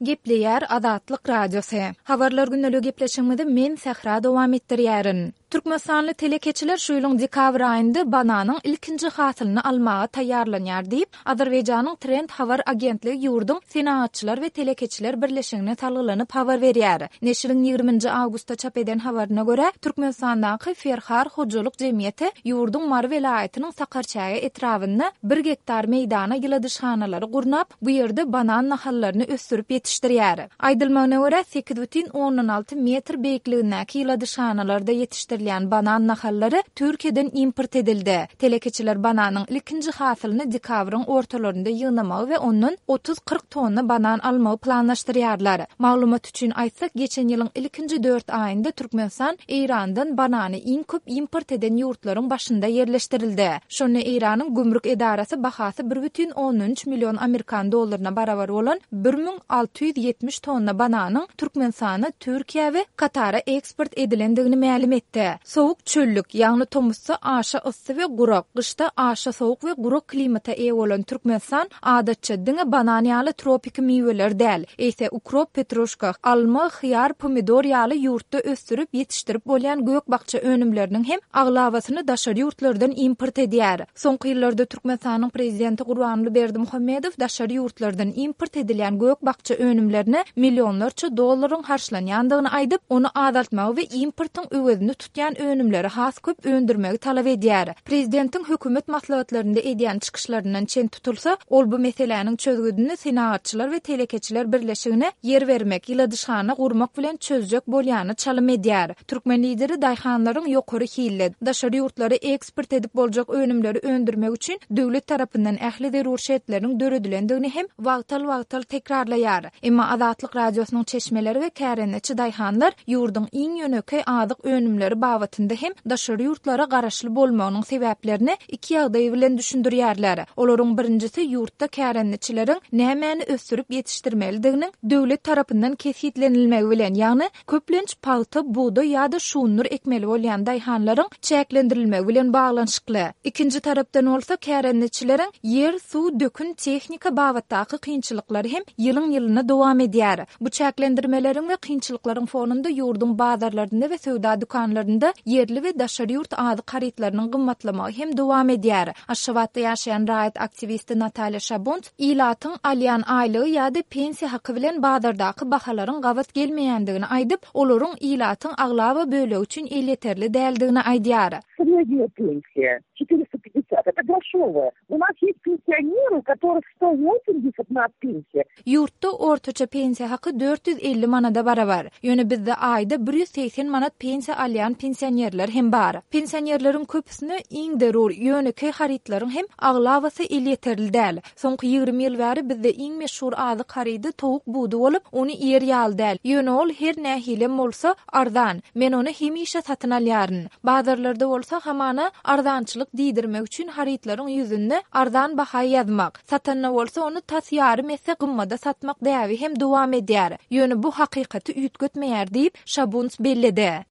Gepleýär Azatlyk Radiosy. Habarlar gündeligi gepleşigimizi men Sähra dowam etdirýärin. Türkmenistanly telekeçiler şu ýylyň dekabr aýynda bananyň ilkinji hasylyny almaga taýýarlanýar diýip, Azerbaýjanyň Trend habar agentligi ýurduň Senagatçylar we telekeçiler birleşigine salgylanyp habar berýär. Neşiriň ýigrimi nji awgustda çap eden habaryna görä, Türkmenistandaky Ferhar hojalyk jemgyýeti ýurduň Mary welaýatynyň Sakarçäge etrabynda bir gektar meýdana ýyladyşhanalary gurnap, Bu ýerde banan nahallaryny ösdürip ýetişdirýär. Aýdylmagyna görä, 8,6 metr beýikligindäki ýyladyşhanalarda ýetişdirilýän banan nahallary Türkiýeden import edildi. Telekeçiler bananyň ilkinji hasylyny dekabryň ortalarynda ýygnamagy we ondan 30-40 tonna banan almagy planlaşdyrýarlar. Maglumat üçin aýtsak, geçen ýylyň ilkinji dört aýynda Türkmenistan Eýrandan banany iň köp import eden ýurtlaryň başynda ýerleşdirildi. Şonda Eýranyň gümrük edarasy bahasy 1,3 million amerikan dollaryna barabar bolan 1670 tonna bananyň Türkmenistana, Türkiýä we Katara eksport edilendigini mälim etdi. Sowuk çöllük, ýagny tomusda aşa yssy we gurak, gyşda aşa sowuk we gurak klimata eýe bolan Türkmenistan adatça diňe banan ýaly tropiki miweler däl, eýse ukrop, petruşka, alma, hyýar, pomidor ýaly ýurtda ösdürip ýetişdirip bolýan gök-bakja önümleriniň hem aglabasyny daşary ýurtlardan import edýär. Soňky ýyllarda Türkmenistanyň Prezidenti Gurbanguly Berdimuhamedow daşary ýurtlardan import edilýän gök-bakja önümlerine millionlarça dollaryň harçlanýandygyny aýdyp, ony azaltmagy we importyň öwezini tutýan önümleri has köp öndürmegi talap edýär. Prezidentiň hökümet maslahatlarynda edýän çykyşlaryndan çen tutulsa, ol bu meseläniň çözgüdini Senagatçylar we telekeçiler birleşigine ýer bermek, ýyladyşhana gurmak bilen çözjek bolýana çalym edýär. Türkmen Lideri daýhanlaryň ýokary hilli, daşary ýurtlara eksport edip boljak önümleri öndürmek üçin döwlet tarapyndan ähli zerur şertleriň döredilendigini hem wagtal-wagtal tekrarlaýar. Emma Azatlyk Radiosynyň çeşmeleri we kärendeçi daýhanlar ýurduň iň ýönekeý azyk önümleri babatynda hem daşary ýurtlara garaşly bolmagynyň sebäplerini iki ýagdaý bilen düşündirýärler. Olaryň birinjisi ýurtda kärendeçileriň nämäni ösdürip ýetişdirmelidiginiň döwlet tarapyndan kesgitlenilmegi bilen, ýagny köplenç pagta, bugdaý ýa-da şundur ekmeli bolýan daýhanlaryň çäklendirilmegi bilen baglanyşykly. Ikinji tarapdan bolsa, kärendeçileriň ýer, suw, dökün, tehnika babatdaky kynçylyklary hem ýylyň-ýylyna dowam edýär. Bu çäklendirmeleriň we kynçylyklaryň fonunda ýurduň bazarlarynda we söwda dükanlarynda ýerli we daşary ýurt azyk harytlarynyň gymmatlamagy hem dowam edýär. Aşgabatda ýaşaýan raýat aktiwisti Natalýa Şabunt ilatyň alýan aýlygy ýa-da pensiýa haky bilen bazardaky bahalaryň gabat gelmeýändigini aýdyp, olaryň ilatyň aglaba bölegi üçin elýeterli däldigini aýdýar. Srednýa pensiýa, 450, это groşowaýa. U nas ýest pensionery, u kotoryh 180 na pensiýa. Ýurtda ortaça pensiýa haky 450 manada barabar. Ýöne bizde aýda 180 manat pensiýa alýan pensionerler hem bar. Pensionerleriň köpüsine iň zerur, ýönekeý harytlaryň hem aglabasy elýeterli däl. Soňky 20 ýyl bäri bizde iň meşhur azyk harydy towuk budy bolup, ony iýer ýaly däl. Ýöne ol her nähilem bolsa, arzan. Men ony hemişe satyn alýaryn. Bazarlarda bolsa hamana arzançylyk diýdirmek üçin harytlaryň ýüzünde arzan baha ýazmak, satanda bolsa ony tas ýarym esse gymmada satmak däbi hem dowam edýär. Ýöne bu hakykaty üýtgetmeýär diýip, Şabunts belledi.